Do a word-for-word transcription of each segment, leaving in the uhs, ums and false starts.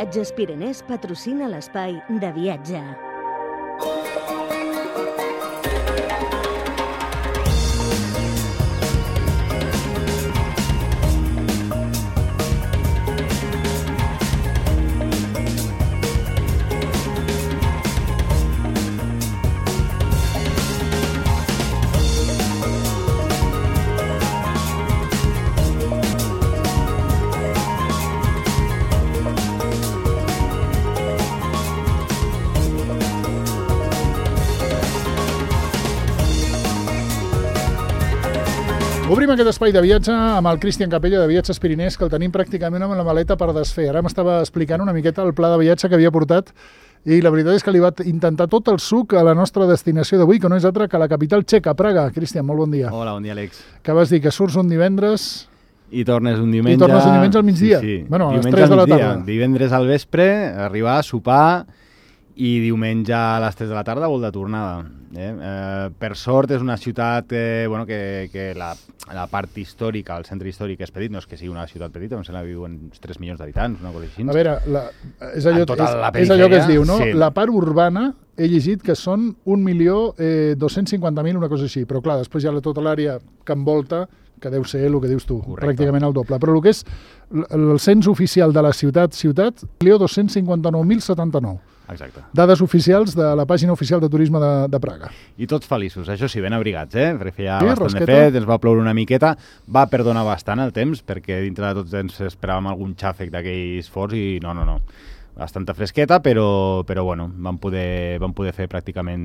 Viatges Pirenès patrocina l'espai de viatge. Obrim aquest espai de viatge amb el Cristian Capella de Viatges Pirenès, que el tenim pràcticament amb la maleta per desfer. Ara m'estava explicant una miqueta el pla de viatge que havia portat i la veritat és que li va intentar tot el suc a la nostra destinació d'avui, que no és altra que la capital txeca, Praga. Cristian, molt bon dia. Hola, bon dia, Àlex. Que vas dir que surts un divendres... I tornes un diumenge... I tornes un diumenge al migdia. Sí, sí. Bueno, a les diumenge tres de la migdia. tarda. Divendres al vespre, arribar a sopar i diumenge a les tres de la tarda vol de tornada. Eh? Eh, per sort és una ciutat eh, bueno, que, que la, la part històrica, el centre històric és petit, no és que sigui una ciutat petita, em sembla que viuen uns tres milions d'habitants, una cosa així. A veure, la, és, allò, tota és, és allò que es diu, no? Sí. La part urbana, he llegit que són un milió eh, dos-cents cinquanta mil, una cosa així, però clar, després hi ha tota l'àrea que envolta, que deu ser el que dius tu, correcte, pràcticament el doble. Però el que és el cens oficial de la ciutat, ciutat, un milió dos-cents cinquanta-nou mil setanta-nou. Exacte. Dades oficials de la pàgina oficial de turisme de, de Praga. I tots feliços, això sí, ben abrigats, eh? Perquè feia sí, bastant rasqueta. de fred, ens va ploure una miqueta, va perdonar bastant el temps, perquè dintre de tots ens esperàvem algun xàfec d'aquells forts i no, no, no. Bastanta fresqueta, però, però bueno, vam poder, vam poder fer pràcticament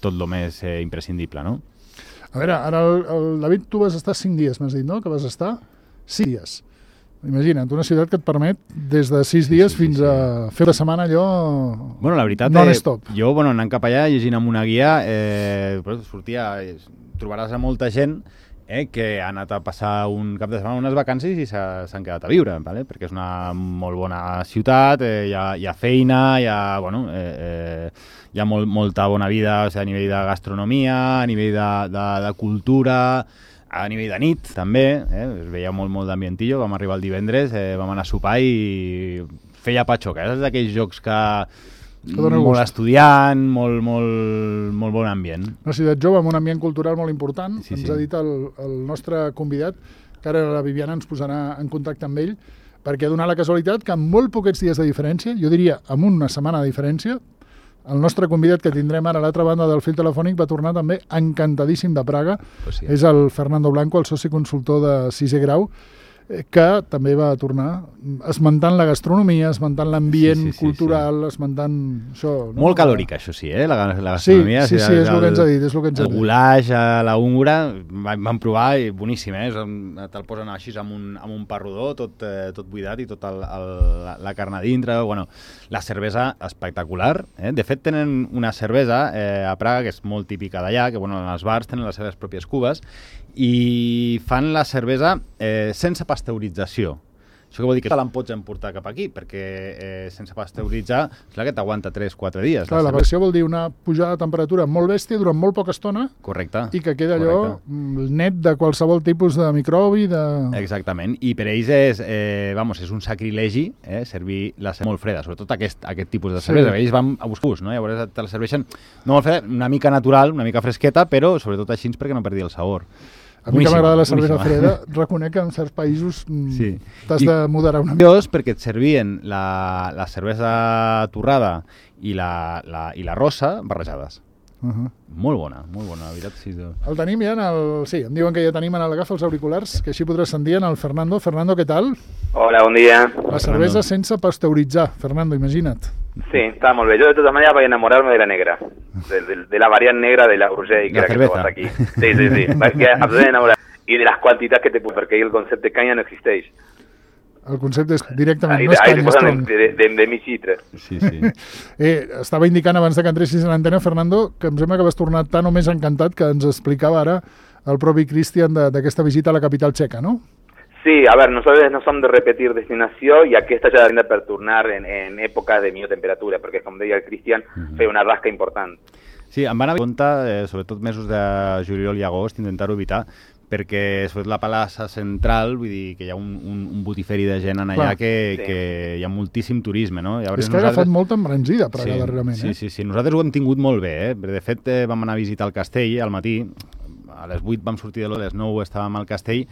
tot el més eh, imprescindible, no? A veure, ara el, el David, tu vas estar cinc dies, m'has dit, no? Que vas estar cinc dies. Imagina't, una ciutat que et permet des de sis dies sí, sí, fins sí, sí. a fer una setmana allò bueno, la veritat, non-stop. Eh, jo, bueno, anant cap allà, llegint amb una guia, eh, sortia, trobaràs a molta gent eh, que ha anat a passar un cap de setmana, unes vacances i s'han quedat a viure, ¿vale? Perquè és una molt bona ciutat, eh, hi, ha, hi ha feina, hi ha, bueno, eh, eh, hi ha molt, molta bona vida, o sigui, a nivell de gastronomia, a nivell de, de, de cultura, a nivell de nit, també, eh? Es veia molt, molt d'ambientillo, vam arribar el divendres, eh, vam anar a sopar i feia patxoca, és d'aquells jocs que... que molt gust. Estudiant, molt, molt, molt bon ambient. Una ciutat jove amb un ambient cultural molt important, sí, ens sí. ha dit el, el nostre convidat, que ara la Viviana ens posarà en contacte amb ell, perquè ha donat la casualitat que amb molt poquets dies de diferència, jo diria amb una setmana de diferència, el nostre convidat que tindrem ara a l'altra banda del fil telefònic va tornar també encantadíssim de Praga. Pues sí. És el Fernando Blanco, el soci consultor de sisè grau, que també va tornar esmentant la gastronomia, esmentant l'ambient sí, sí, sí, cultural, sí. esmentant això... No? Molt calòric, això sí, eh? La, la gastronomia. Sí, sí, sí, és el, el que ens ha dit. És el que ens ha el goulash, la húngara, vam provar i boníssim, eh? Te'l posen així amb un, amb un pa rodó, tot, eh, tot buidat i tota la, la carn a dintre. Bueno, la cervesa espectacular. Eh? De fet, tenen una cervesa eh, a Praga que és molt típica d'allà, que bueno, en els bars tenen les seves pròpies cubes, i fan la cervesa eh, sense pasteurització. Això que vol dir que te l'en pots emportar cap aquí, perquè eh, sense pasteuritzar, és clar que t'aguanta tres quatre dies. Clar, la, la versió vol dir una pujada de temperatura molt bèstia durant molt poca estona. Correcte. I que queda allò correcte. Net de qualsevol tipus de microbi. De... Exactament. I per ells és, eh, vamos, és un sacrilegi eh, servir la cervesa molt freda, sobretot aquest, aquest tipus de cervesa. Sí. Ells van a buscar, no? Llavors te la serveixen no molt freda, una mica natural, una mica fresqueta, però sobretot així perquè no perdi el sabor. A mi que m'agrada la cervesa freda, reconec que en certs països sí. t'has de moderar una mica. Perquè et servien la, la cervesa torrada i la, la, i la rosa barrejades. Uh -huh. Molt bona, molt bona, la veritat. Sí, el tenim ja en el... Sí, em diuen que ja tenim en l'agafa els auriculars, que així podràs sentir en el Fernando. Fernando, què tal? Hola, bon dia. La cervesa sense pasteuritzar, Fernando, imagina't. Sí, està molt bé. Jo de totes maneres vaig enamorar-me de la negra, de, de, de la variant negra de la Urgell, que, la que trobes aquí. Sí, sí, sí. Vaig absolutament enamorar. I de les quantitats que te puc, perquè el concepte de canya no existeix. El concepte és directament, ahí, no és canya, és tronc. De, de, de mi xitre. Sí, sí. eh, estava indicant abans de que entressis en antena, Fernando, que em sembla que vas tornar tan o més encantat que ens explicava ara el propi Cristian d'aquesta visita a la capital txeca, ¿no? Sí, a ver, nosotros no som de repetir destinació i aquesta ja tendrà per tornar en, en èpoques de millor temperatura, perquè com deia el Cristian, uh-huh. feia una rasca important. Sí, em van a compte, eh, sobretot mesos de juliol i agost, intentar-ho evitar, perquè sobretot la plaça central, vull dir que hi ha un, un, un botiferi de gent en allà que, sí. que hi ha moltíssim turisme, no? Llavors, és que ha nosaltres... agafat molta embranzida Praga sí, darrerament, sí, eh? Sí, sí, nosaltres ho hem tingut molt bé, eh? De fet, eh, vam anar a visitar el castell al matí, a les vuit vam sortir de l'hora, a les nou estàvem al castell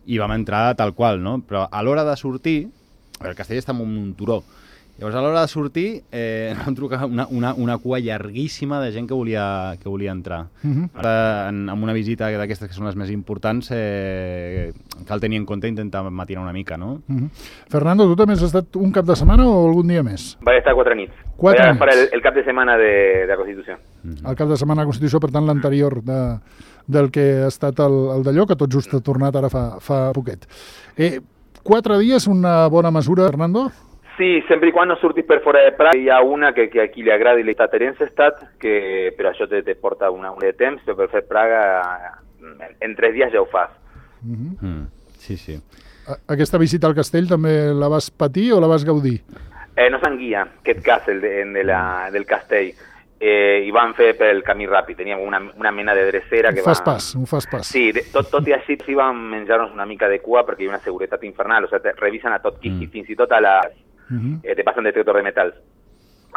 i vam entrar tal qual, no? Però a l'hora de sortir, el castell està en un turó, llavors a l'hora de sortir eh, vam trucar una, una, una cua llarguíssima de gent que volia, que volia entrar. Uh -huh. Ara, en, en una visita d'aquestes que són les més importants, eh, cal tenir en compte i intentar matinar una mica, no? Uh -huh. Fernando, tu també has estat un cap de setmana o algun dia més? Vaig estar quatre nits. Quatre Vaig agafar nits. el, el cap de setmana de, de la Constitució. Uh -huh. El cap de setmana de Constitució, per tant, l'anterior de, del que ha estat el, el d'allò, que tot just ha tornat ara fa, fa poquet. Eh, quatre dies, una bona mesura, Fernando? Sí, sempre i quan no surtis per fora de Praga. Hi ha una que, que a qui li agrada i li està Terencetat, que, però això te, te porta una, una de temps, però per fer Praga en, en tres dies ja ho fas. Uh -huh. mm, sí, sí. A, aquesta visita al castell també la vas patir o la vas gaudir? Eh, no se'n guia, aquest castle de, de la, del castell. Eh, i van fer pel camí ràpid, teníem una, una mena de drecera que un fas va... pas, un fas pas. Sí, de, tot, tot i així sí vam menjar-nos una mica de cua perquè hi ha una seguretat infernal, o sigui, te revisen a tot qui, mm. fins i tot a les... Uh -huh. eh, te passen detector de metals,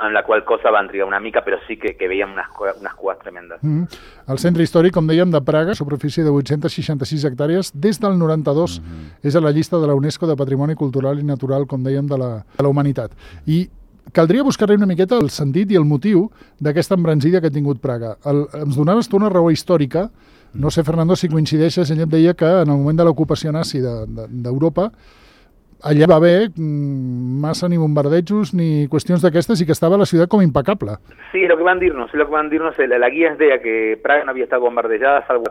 en la qual cosa van trigar una mica, però sí que, que veiem unes, unes cues tremendes. Uh -huh. El centre històric, com dèiem, de Praga, superfície de vuit-cents seixanta-sis hectàrees, des del noranta-dos uh -huh. és a la llista de la UNESCO de Patrimoni Cultural i Natural, com dèiem, de la, de la humanitat. I caldria buscar-li una miqueta el sentit i el motiu d'aquesta embranzida que ha tingut Praga. El, ens donaves tu una raó històrica, no sé, Fernando, si coincideixes, ell et deia que en el moment de l'ocupació nazi d'Europa de, de, allà va haver massa ni bombardejos ni qüestions d'aquestes i que estava la ciutat com impecable. Sí, lo que van dir-nos, lo que van dir-nos, la, la guia ens deia que Praga no havia estat bombardejada, salvo,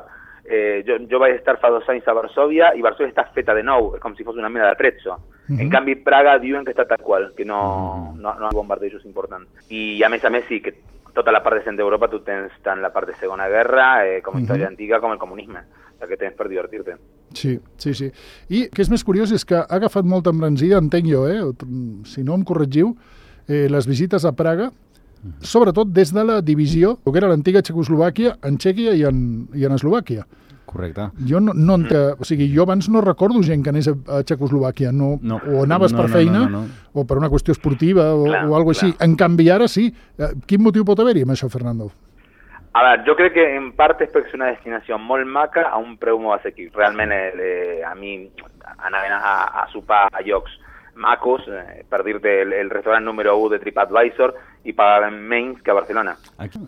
eh, jo, jo vaig estar fa dos anys a Varsovia i Varsovia està feta de nou, és com si fos una mena de trezzo. Uh -huh. En canvi, Praga diuen que està tal qual, que no, no, no hi ha bombardejos importants. I a més a més sí, que tota la part de centre d'Europa tu tens tant la part de Segona Guerra eh, com història uh -huh. antiga com el comunisme, o que tens per divertir-te. Sí, sí, sí. I que és més curiós és que ha agafat molta embranzida, entenc jo, eh? Si no em corregiu, eh, les visites a Praga, sobretot des de la divisió, que era l'antiga Txecoslovàquia, en Txèquia i en, i en Eslovàquia. Correcte. Jo no, no entenc, o sigui, jo abans no recordo gent que anés a, a Txecoslovàquia, no, no, o anaves no, per no, feina, no, no, no. o per una qüestió esportiva, o, clar, o alguna cosa així. En canvi, ara sí. Quin motiu pot haver-hi amb això, Fernando? A veure, jo crec que en part és perquè és una destinació molt maca a un preu molt assequible. Realment eh, a mi anaven a, a sopar a llocs macos, eh, per dir-te el, el restaurant número u de TripAdvisor, i pagaven menys que a Barcelona. Aquí?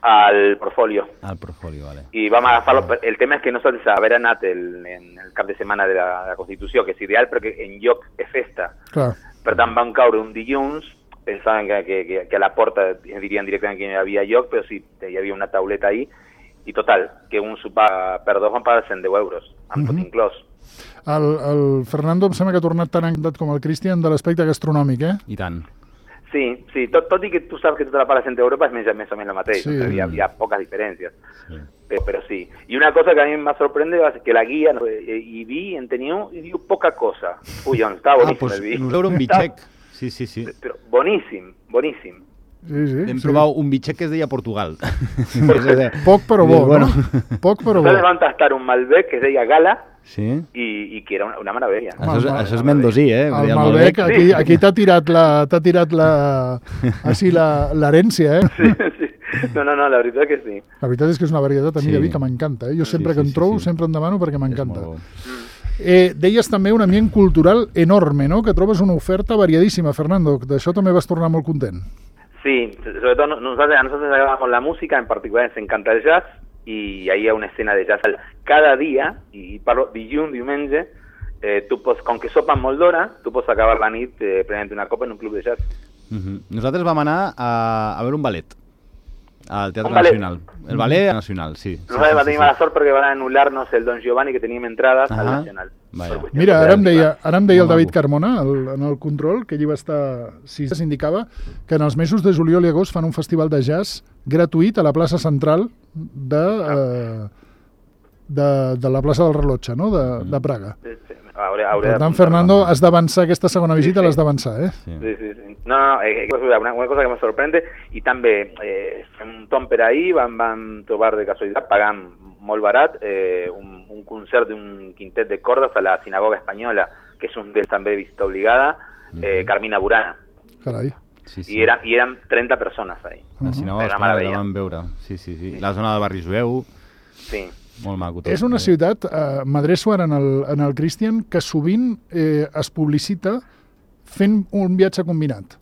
Al Portfolio. Al Portfolio, vale. I vam agafar-lo. El tema és que nosaltres haver anat el, en el cap de setmana de la, de la Constitució, que és ideal perquè en lloc és festa. Clar. Per tant, van caure un dilluns, pensaven que, que, que a la porta dirien directament que no hi havia lloc, però sí, hi havia una tauleta ahí, i total, que un sopar per dos van pagar cent deu euros, amb uh -huh. tot inclòs. El, el Fernando em sembla que ha tornat tan encantat com el Cristian de l'aspecte gastronòmic, eh? I tant. Sí, sí, tot, tot i que tu saps que tota la part de centre d'Europa és més, més o menys el mateix, Sí. o sigui, hi, ha, hi ha poques diferències, sí. Però, però sí. I una cosa que a mi em va sorprendre és que la guia, no, i vi, en teniu, i diu poca cosa. Ui, doncs estava Ah, boníssim pues el vi. nos veure un bitxec. Sí, sí, sí. Però boníssim, boníssim. Sí, sí. Vam sí. provar un bitxec que es deia Portugal. Poc però bo, Bueno. no? Poc però bo. Nosaltres vam tastar un Malbec que es deia Gala, Sí. i, i que era una, una meravella. Això és, Mal- això és mendosí, eh? El Deia Malbec, aquí, aquí t'ha tirat la, t'ha tirat la, així la, l'herència, eh? Sí, sí. No, no, no, la veritat que sí. La veritat és que és una varietat a mi Sí. de vi que m'encanta, eh? Jo sempre Sí, que sí, en sí, trobo, sí. sempre en demano perquè És m'encanta. molt bo. Eh, deies també un ambient cultural enorme, no? Que trobes una oferta variadíssima, Fernando. D'això també vas tornar molt content. Sí, sobre todo nosotros, a nosotros nos agradamos la música, en particular nos encanta el jazz, y ahí hay una escena de jazz cada día, y parlo dilluns, diumenge, eh, tu pots, com que sopa molt d'hora, tu pots acabar la nit eh, prenent una copa en un club de jazz. Uh -huh. Nosaltres vam anar a, a veure un ballet al Teatre Un ballet? Nacional. El ballet nacional, sí. sí, Nosaltres sí, vam sí, tenir sí. mala sort perquè van anul·lar-nos el Don Giovanni, que teníem entrades al Ahà. Nacional. Vaja. Per qüestions Mira, ara em deia, operatives. ara em deia el Molt David maco. Carmona, el, en el control, que allí va estar sis dies, indicava que en els mesos de juliol i agost fan un festival de jazz gratuït a la plaça central de, eh, de, de la plaça del Rellotge, no? de, de Praga. Sí, sí. Hauré, hauré Per de tant, apuntar-me. Fernando, has d'avançar aquesta segona visita, sí. l'has d'avançar, eh? Sí. Sí, sí, sí. No, no, eh, una, una cosa que me sorprende, i també eh, fem un tom per ahir, vam, vam trobar de casualitat, pagant molt barat, eh, un, un concert d'un quintet de cordes a la Sinagoga Espanyola, que és un d'ells també visita obligada, eh, Carmina Burana. Carai. Sí, sí. I, era, I eren trenta persones ahí. La Sinagoga Espanyola la vam veure. Sí, sí, sí. La zona del barri jueu, Sí. molt maco tot. És una ciutat, eh, m'adreço ara en el, en el Christian, que sovint eh, es publicita fent un viatge combinat,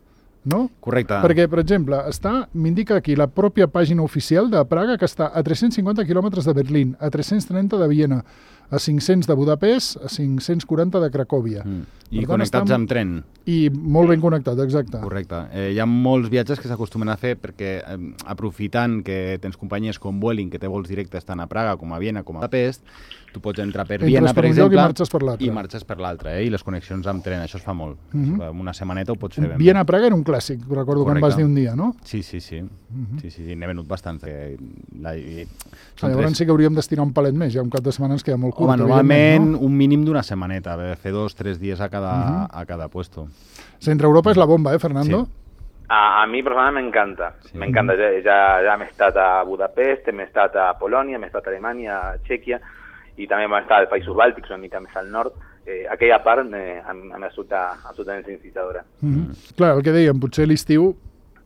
no? Correcte. Perquè, per exemple, està, m'indica aquí la pròpia pàgina oficial de Praga, que està a tres-cents cinquanta quilòmetres de Berlín, a tres-cents trenta de Viena, a cinc-cents de Budapest, a cinc-cents quaranta de Cracòvia. Mm. I Per tant, connectats estan- amb tren. I molt ben connectat, exacte. Correcte. Eh, hi ha molts viatges que s'acostumen a fer perquè, eh, aprofitant que tens companyies com Vueling, que té vols directes tant a Praga com a Viena com a Budapest, tu pots entrar per Entres Viena, per per un lloc i exemple, marxes per l'altre. i marxes per l'altre, eh? I les connexions amb tren, això es fa molt. Mhm. En una setmaneta ho pots fer ben bé. Viena-Praga era un clàssic, recordo que em vas Correcte. dir un dia, no? Sí, sí, sí. Sí, sí, sí. N'he venut bastant. Que la, i, Ah, llavors sí que hauríem d'estirar un palet més, ja un cap de setmana ens queda molt curt. Home, normalment evidentment, no? un mínim d'una setmaneta, eh, fer dos, tres dies a cada, Mhm. a cada puesto. Centre Europa és la bomba, eh, Fernando? Sí. A, a mi personalment m'encanta, Sí. m'encanta, ja, ja, ja m'he estat a Budapest, m'he estat a Polònia, m'he estat a Alemanya, a Txèquia, i també m'he estat als Països Bàltics, una mica més al nord. Eh, aquella part me, em, em resulta absolutament incitadora. Mhm. Clar, el que dèiem, potser l'estiu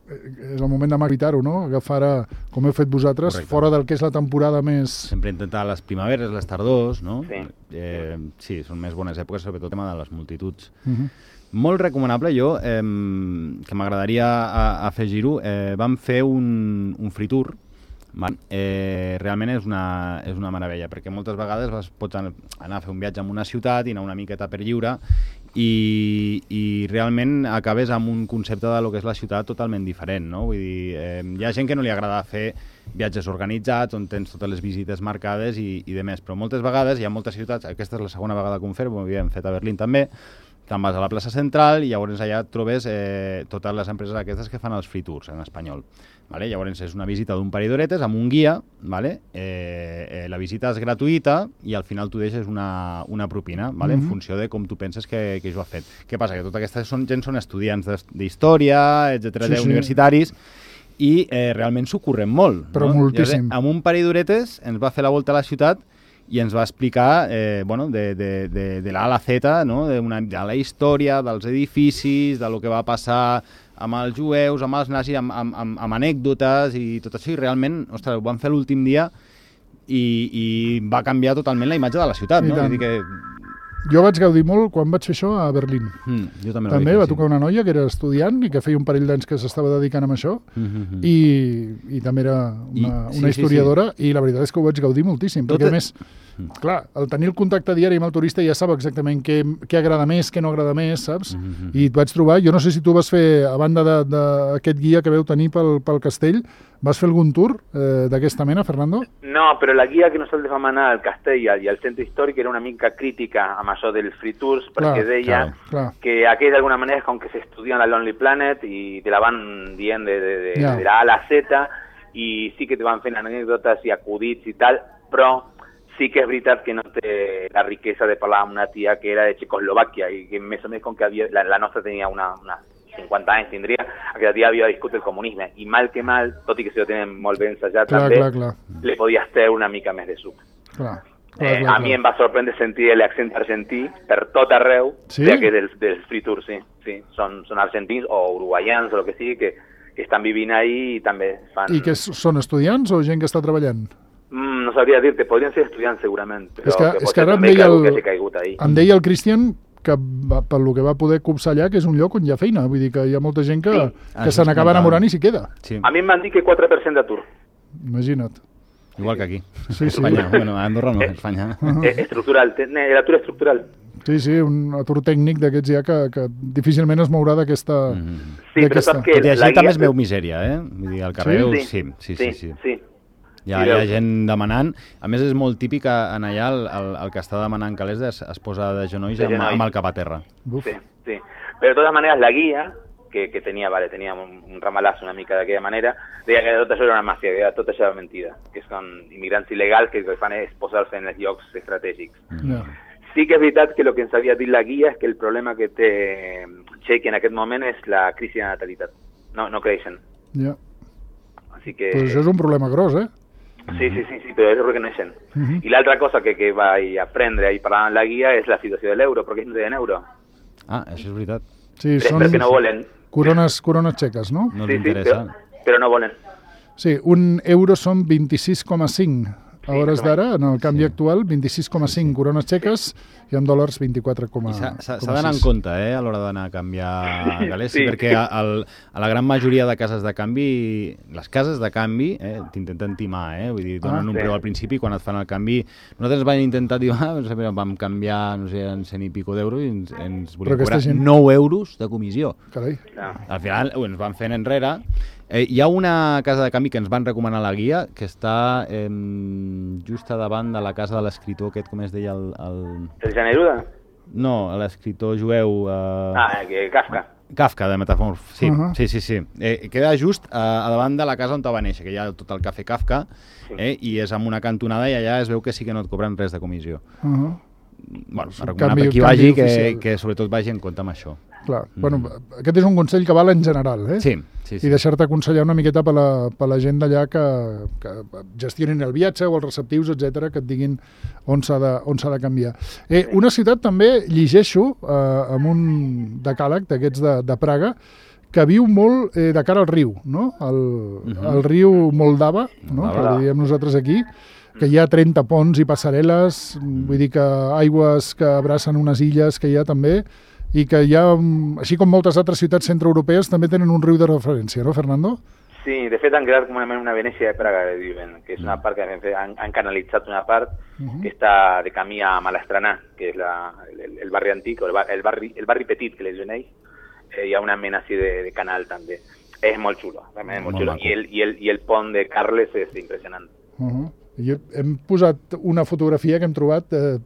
eh, és el moment de evitar-ho, no? Agafar, a, com heu fet vosaltres, Correcte. fora del que és la temporada més... Sempre intentar les primaveres, les tardors, no? Sí. Eh, sí, són més bones èpoques, sobretot el tema de les multituds. Mhm. Molt recomanable, jo, eh, que m'agradaria a- afegir-ho, eh, vam fer un, un free tour, va? Eh, realment és una, és una meravella, perquè moltes vegades vas, pots anar a fer un viatge en una ciutat i anar una miqueta per lliure i, i realment acabes amb un concepte de lo que és la ciutat totalment diferent, no? Vull dir, eh, hi ha gent que no li agrada fer viatges organitzats on tens totes les visites marcades i, i de més, però moltes vegades hi ha moltes ciutats, aquesta és la segona vegada que ho fem, ho havíem fet a Berlín també, te'n vas a la plaça central i llavors allà et trobes eh, totes les empreses aquestes que fan els free tours en espanyol. Vale? Llavors és una visita d'un parell d'horetes amb un guia, vale? eh, eh, la visita és gratuïta i al final tu deixes una, una propina, vale? Mhm. En funció de com tu penses que, que jo ha fet. Què passa? Que tota aquesta són, gent són estudiants d'his- d'història, etcètera, Sí, sí. universitaris, i eh, realment s'ho curren molt. Però no? moltíssim. Llavors, amb un parell d'horetes ens va fer la volta a la ciutat i ens va explicar eh, bueno, de, de, de, de l'A a la Z, no? de, una, de la història, dels edificis, de lo que va passar amb els jueus, amb els nazis, amb, amb, amb, amb anècdotes i tot això, i realment, ostres, ho vam fer l'últim dia i, i va canviar totalment la imatge de la ciutat, I no? tant. Vull dir que... Jo vaig gaudir molt quan vaig fer això a Berlín. Mm, jo també, També ho va vaig fer, tocar una noia que era estudiant i que feia un parell d'anys que s'estava dedicant a això sí. Mm -hmm. i, i també era I- una, sí, una sí, historiadora i la veritat és que ho vaig gaudir moltíssim, Tot perquè e- a més, clar, el tenir el contacte diari amb el turista ja sap exactament què, què agrada més, què no agrada més, saps? Mhm. I et vaig trobar, jo no sé si tu vas fer, a banda d'aquest guia que veu tenir pel, pel castell, vas fer algun tour eh, d'aquesta mena, Fernando? No, però la guia que nosaltres vam anar al castell i al, i al centre històric era una mica crítica amb això dels free tours, perquè Clar, deia clar, clar. que aquells d'alguna manera és com que s'estudien la Lonely Planet i te la van dient de, de, de, Ja. de la A a la Z i sí que te van fent anècdotes i acudits i tal, però sí que és veritat que no té la riquesa de parlar amb una tia que era de Txecoslovàquia i que més o més com que havia, la, la nostra tenia una, una cinquanta anys, tindria, aquella tia havia viscut el comunisme i mal que mal, tot i que si ho tenen molt ben ensajat Clar, també, clar, clar. li podies treure una mica més de suc. clar, clar, Eh, clar, a mi clar. em va sorprendre sentir l'accent argentí per tot arreu, Sí? ja que dels, dels free tours, sí. sí. Són, són argentins o uruguaians o el que sigui que, que estan vivint ahí i també fan... I que s- són estudiants o gent que està treballant? Mm, no sabria dir-te, podrien ser estudiants segurament, però És que- que, és pot que ser ara em també deia que algú el- que hagi caigut ahí. Em deia el Cristian que va, per lo que va poder copsar allà, que és un lloc on hi ha feina. Vull dir que hi ha molta gent que, Sí. que Això se es n'acaba comentava. enamorant i s'hi queda. Sí, A mi em van dir que quatre per cent d'atur. Imagina't. igual que aquí. Sí, sí. Espanya, bueno, a Andorra no, a Espanya. Eh, estructural, te- ne- l'atur estructural. Sí, sí, un atur tècnic d'aquests ja que, que difícilment es mourà d'aquesta... Mhm. Sí, però d'aquesta. saps que Tot i així la també guia- es veu misèria, eh? Vull dir, al carrer, Sí? sí, sí, sí. sí. sí. Hi ha, Sí, hi ha veus. gent demanant. A més, és molt típic que en allà el, el, el que està demanant calés es, es posa de genolls, De amb, genolls. amb el cap a terra. Uf. Sí, sí. Pero de todas maneras la guía, que, que tenía, vale, tenía un, un ramalazo una mica d'aquella manera, deia que tot això era una màfia, que tot això era mentida, que són immigrants il·legals que el que fan és posar-se en els llocs estratègics. Ja. Sí que és veritat que el que ens havia dit la guia és que el problema que té Txèquia en aquest moment és la crisi de natalitat. No, no creixen. Ja. Així que... Pues això és un problema gros, eh? Sí, sí, sí, sí, però és reconeixent. Uh -huh. I l'altra cosa que, que vaig aprendre i parlar en la guia és la situació de l'euro, perquè ells no tenen euro. Ah, això és veritat. Sí, però, són perquè no volen. Corones, corones txeques, no? No sí, t'interessa. Sí, però, però no volen. Sí, un euro són vint-i-sis coma cinc a hores d'ara, en el canvi Sí. actual, vint-i-sis coma cinc corones txeques i en dòlars vint-i-quatre coma sis. S'ha d'anar en compte eh, a l'hora d'anar a canviar galers, sí. Sí. perquè a, a, a la gran majoria de cases de canvi, les cases de canvi eh, t'intenten timar, eh? Vull dir, donen Ah, un sí. preu al principi quan et fan el canvi. Nosaltres vam intentar dir, ah, no sé, vam canviar, no sé, en cent i pico d'euros i ens, ens volien aquesta cobrar gent- nou euros de comissió. Carai. No. Al final ho ens van fent enrere. Eh, hi ha una casa de canvi que ens van recomanar a la guia que està eh, just a davant de la casa de l'escriptor aquest, com es deia el... el... El Generuda? No, l'escriptor jueu... Eh... Ah, que Kafka. Kafka, de Metamorf, sí, Uh -huh. sí, sí, sí. Eh, queda just a, a davant de la casa on va néixer, que hi ha tot el cafè Kafka, eh, i és amb una cantonada i allà es veu que sí que no et cobren res de comissió. Uh -huh. Bueno, un m'ha recomanat canvi- a qui canvi vagi que, oficial. que sobretot vagi en compte amb això. Clar. Mm. Bueno, aquest és un consell que val en general, eh? Sí, sí, sí. I deixar-te aconsellar una miqueta per la, per la gent d'allà que, que gestionin el viatge o els receptius, etcètera, que et diguin on s'ha de, on s'ha de canviar. Eh, una ciutat també, llegeixo, eh, amb un decàleg d'aquests de, de Praga, que viu molt eh, de cara al riu, no? El, uh -huh. el riu Moldava, no? Moldava. Que li diem nosaltres aquí, que hi ha trenta ponts i passarel·les, mm. vull dir que aigües que abracen unes illes que hi ha també, i que hi ha, així com moltes altres ciutats centroeuropees, també tenen un riu de referència, no, Fernando? Sí, de fet han creat com una, una Venècia de Praga, diuen, que és una part que han, han canalitzat una part uh-huh. que està de camí a Malastranà, que és la, el, el barri antic, o el, bar, el, barri, el barri petit que li diuen ells. Eh, hi ha una mena així de, de canal també. És molt xulo, realment és molt, molt xulo. I el, i, el, I el pont de Carles és impressionant. Uh-huh. Jo hem posat una fotografia que hem trobat eh,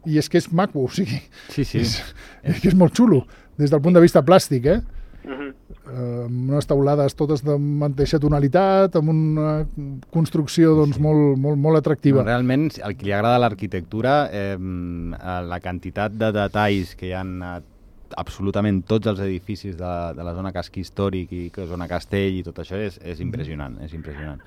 i és que és maco, o sigui, Sí, sí. És, és que és molt xulo, des del punt de vista plàstic, eh? Uh-huh. Uh, amb unes teulades totes de mateixa tonalitat, amb una construcció doncs, Sí. molt, molt, molt atractiva. No, realment, el que li agrada a l'arquitectura, eh, la quantitat de detalls que hi ha a absolutament tots els edificis de, de la zona casc històric i que zona castell i tot això és, és impressionant, és impressionant.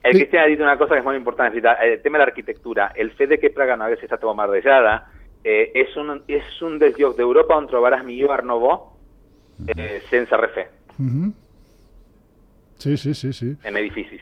El Cristian ha dit una cosa que és molt important, és a dir, el tema de l'arquitectura, el fet de que Praga no hagués estat bombardejada, eh, és, un, és un dels llocs d'Europa on trobaràs millor Art Nouveau eh, sense refer, Uh-huh. Sí, sí, sí, sí. en edificis.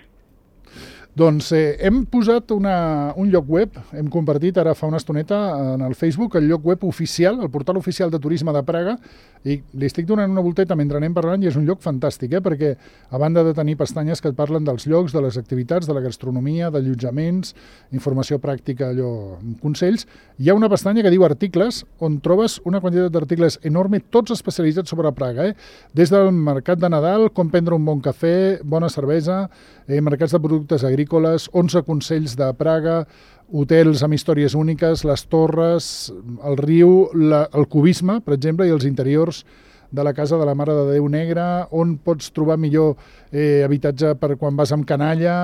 Doncs eh, hem posat una, un lloc web, hem compartit ara fa una estoneta en el Facebook, el lloc web oficial, el portal oficial de turisme de Praga, i li estic donant una volteta mentre anem parlant i és un lloc fantàstic, eh? Perquè a banda de tenir pestanyes que et parlen dels llocs, de les activitats, de la gastronomia, d'allotjaments, informació pràctica, allò, consells, hi ha una pestanya que diu articles, on trobes una quantitat d'articles enorme, tots especialitzats sobre Praga, eh? Des del mercat de Nadal, com prendre un bon cafè, bona cervesa, eh, mercats de productes agrícoles, onze consells de Praga, hotels amb històries úniques, les torres, el riu, la, el cubisme, per exemple, i els interiors de la casa de la Mare de Déu Negra, on pots trobar millor eh, habitatge per quan vas amb canalla,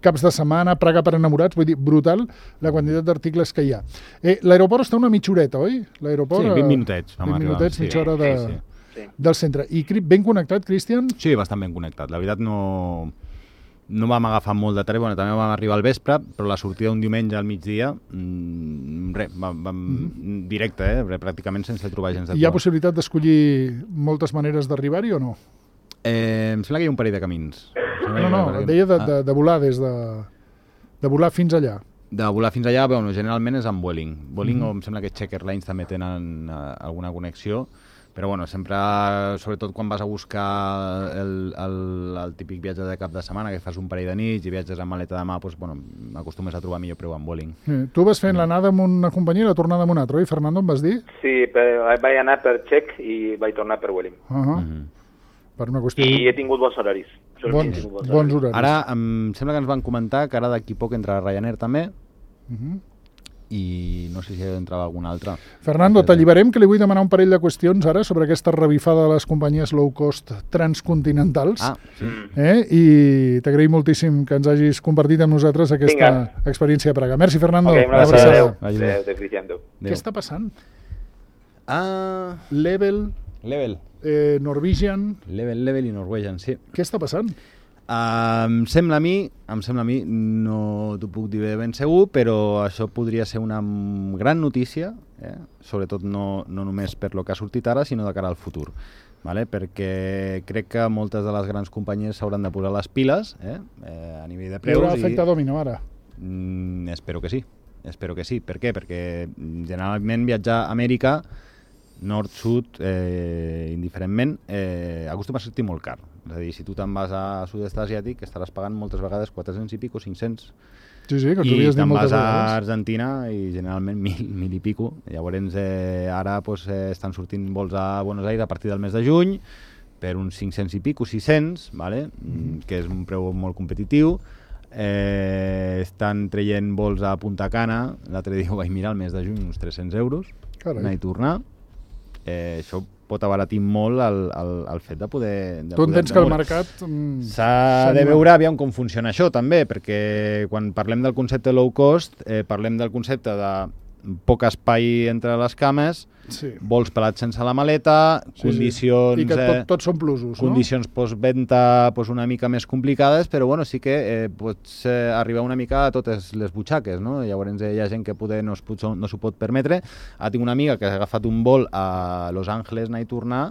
caps de setmana, Praga per enamorats, vull dir, brutal la quantitat d'articles que hi ha. Eh, L'aeroport està una mitja horeta, oi? L'aeroport, Sí, vint minutets. vam vint arribar. minutets, Sí, mitja hora de, sí, sí. Sí. del centre. I Cri- ben connectat, Cristian? Sí, bastant ben connectat. La veritat no, no vam agafar molt de tren, bueno, també vam arribar al vespre, però la sortida un diumenge al migdia, mmm, res, vam, vam mm-hmm. directe, eh? Pràcticament sense trobar gens de Hi ha cua. possibilitat d'escollir moltes maneres d'arribar-hi o no? Eh, em sembla que hi ha un parell de camins. No, no, et deia de, de, de volar des de... de volar fins allà. De volar fins allà, bueno, generalment és amb Vueling. Vueling, mm-hmm. o em sembla que Czech Airlines també tenen uh, alguna connexió, però bueno, sempre, sobretot quan vas a buscar el, el, el típic viatge de cap de setmana, que fas un parell de nits i viatges amb maleta de mà, doncs, bueno, acostumes a trobar millor preu amb Vueling. Eh, tu vas fent l'anada amb una companyia i la tornada amb una altra, oi, Fernando, em vas dir? Sí, però vaig anar per Czech i vaig tornar per Welling. Uh -huh. Mm-hmm. Per una qüestió... I he tingut bons horaris. Bons, He tingut bons horaris. Ara em sembla que ens van comentar que ara d'aquí poc entra Ryanair també, Uh -huh. i no sé si entrava algun altre. Fernando, t'alliberem, que li vull demanar un parell de qüestions ara sobre aquesta revifada de les companyies low cost transcontinentals. Ah, sí. Eh? I t'agraïm moltíssim que ens hagis compartit amb nosaltres aquesta Vinga. experiència a Praga. Merci, Fernando. Ok, Una gràcies. abraçada. Adéu. Adéu. Adéu, adéu, Cristian. Adéu. Què està passant? Ah, Level, Level. eh, Norwegian... Level, Level i Norwegian, sí. Què està passant? Uh, em sembla a mi, em sembla a mi, no t'ho puc dir ben segur, però això podria ser una gran notícia, eh? Sobretot no, no només per lo que ha sortit ara, sinó de cara al futur. Vale? Perquè crec que moltes de les grans companyies s'hauran de posar les piles eh? Eh, a nivell de preus. Hi haurà efecte domino ara? Mm, espero que sí. Espero que sí. Per què? Perquè generalment viatjar a Amèrica, nord, sud, eh, indiferentment, eh, acostuma a sortir molt car. És a dir, si tu te'n vas a sud-est asiàtic estaràs pagant moltes vegades quatre-cents i pico, cinc-cents. Sí, sí, que I te'n vas a vegades. Argentina i generalment mil, mil i pico. Llavors eh, ara pues, eh, estan sortint vols a Buenos Aires a partir del mes de juny per uns cinc-cents i pico, sis-cents, vale? Mm. que és un preu molt competitiu. Eh, estan traient vols a Punta Cana, l'altre dia ho vaig mirar al mes de juny, uns tres-cents euros, Carai. anar i tornar. Eh, això pot abaratir molt el, el, el fet de poder... De tu poder entens que el mercat... Mm, s'ha de veure aviam com funciona això també, perquè quan parlem del concepte low cost, eh, parlem del concepte de poc espai entre les cames, sí. vols pelats sense la maleta, Sí, condicions... sí. I que tot, eh, tots són plusos, condicions postventa pues, una mica més complicades, però bueno, sí que eh, pots eh, arribar una mica a totes les butxaques, no? Llavors eh, hi ha gent que poder no, es pot, no s'ho pot permetre. Ara tinc una amiga que ha agafat un vol a Los Angeles, anar i tornar,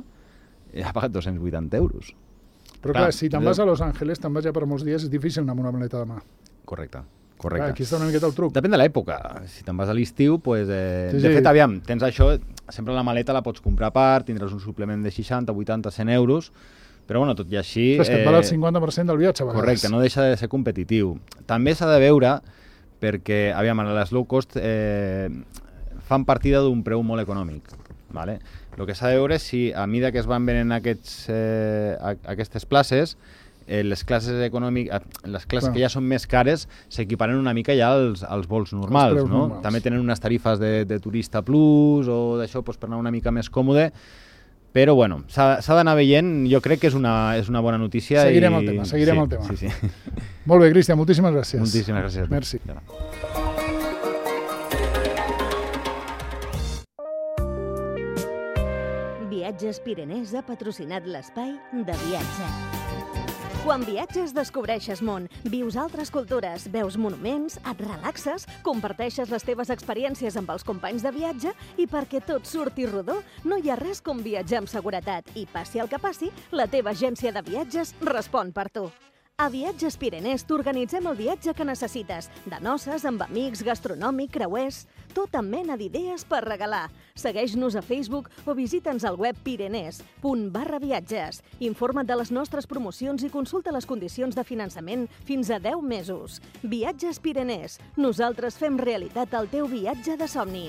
i ha pagat dos-cents vuitanta euros. no? Però clar, clar si te'n vas a Los Angeles, te'n vas ja per molts dies, és difícil anar amb una maleta de mà. Correcte. Correcte. Clar, aquí està una miqueta el truc. Depèn de l'època. Si te'n vas a l'estiu, pues, eh, Sí, de sí. fet, aviam, tens això, sempre la maleta la pots comprar a part, tindràs un suplement de seixanta, vuitanta, cent euros, però bueno, tot i així... És que et val el cinquanta per cent del viatge, a vegades. Correcte, no deixa de ser competitiu. També s'ha de veure, perquè, aviam, les low cost eh, fan partida d'un preu molt econòmic. Vale? El que s'ha de veure és si, a mida que es van venent aquests, eh, aquestes places, eh, les classes econòmiques, les classes Clar. que ja són més cares s'equiparen una mica ja als, als vols normals, preus no? normals. També tenen unes tarifes de, de turista plus o d'això pues, per anar una mica més còmode, però bueno, s'ha d'anar veient, jo crec que és una, és una bona notícia. Seguirem i... el tema, seguirem sí, el tema. Sí, sí. Molt bé, Cristian, moltíssimes gràcies. Moltíssimes gràcies. Merci. Ja. Viatges Pirenès ha patrocinat l'espai de viatge. Quan viatges descobreixes món, vius altres cultures, veus monuments, et relaxes, comparteixes les teves experiències amb els companys de viatge i perquè tot surti rodó, no hi ha res com viatjar amb seguretat i passi el que passi, la teva agència de viatges respon per tu. A Viatges Pirenès t'organitzem el viatge que necessites, de noces, amb amics, gastronòmic, creuers, tota mena d'idees per regalar. Segueix-nos a Facebook o visita'ns al web pirenès punt barra viatges. Informa't de les nostres promocions i consulta les condicions de finançament fins a deu mesos. Viatges Pirenès. Nosaltres fem realitat el teu viatge de somni.